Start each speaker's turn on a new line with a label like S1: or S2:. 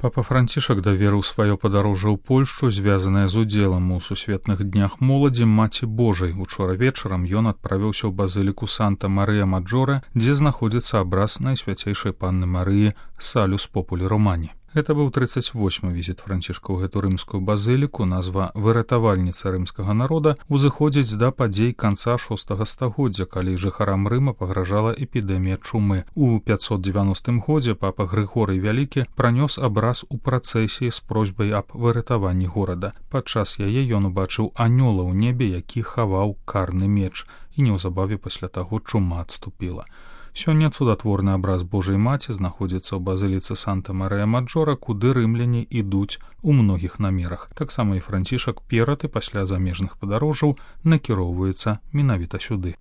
S1: Папа Францішак даверыў сваё падарожжа ў Польшчу, звязанае з удзелам у сусветных днях моладзі Маці Божай. Учора вечарам ён адправіўся ў базыліку Санта-Марыя-Маджоре, дзе знаходзіцца абраз Найсвяцейшай Панны Марыі Салюс Популі Романі. Гэта быў 38-й візіт Францішка ў гэту рымскую базыліку. Назва «Выратавальніца рымскага народа» узыходзіць да падзей канца VI стагоддзя, калі жыхарам Рыма пагражала эпідэмія чумы. У 590 годзе папа Грыгорый Вялікі пранёс абраз у працэсіі з просьбай аб выратаванні горада. Падчас яе ён убачыў анёла ў небе, які хаваў карны меч, і неўзабаве пасля таго чума адступіла. Сёння цудатворны абраз Божай Маці знаходзіцца ў базыліцы Санта-Марыя-Маджоре, куды рымляне ідуць у многіх намерах. Таксама і Францішак перад і пасля замежных падарожжаў накіроўваецца менавіта сюды.